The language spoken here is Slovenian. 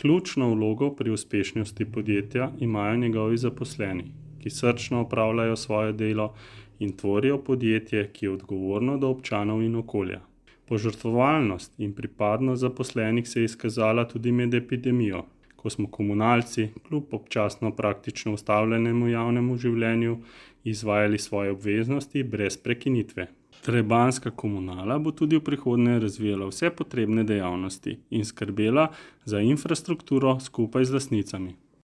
Ključno vlogo pri uspešnosti podjetja imajo njegovi zaposleni, ki srčno opravljajo svoje delo in tvorijo podjetje, ki je odgovorno do občanov in okolja. Požrtvovalnost in pripadnost zaposlenih se je izkazala tudi med epidemijo, ko smo komunalci, kljub občasno praktično ustavljenemu javnemu življenju, izvajali svoje obveznosti brez prekinitve. Trebanjska komunala bo tudi v prihodnje razvijala vse potrebne dejavnosti in skrbela za infrastrukturo skupaj z lastnicami.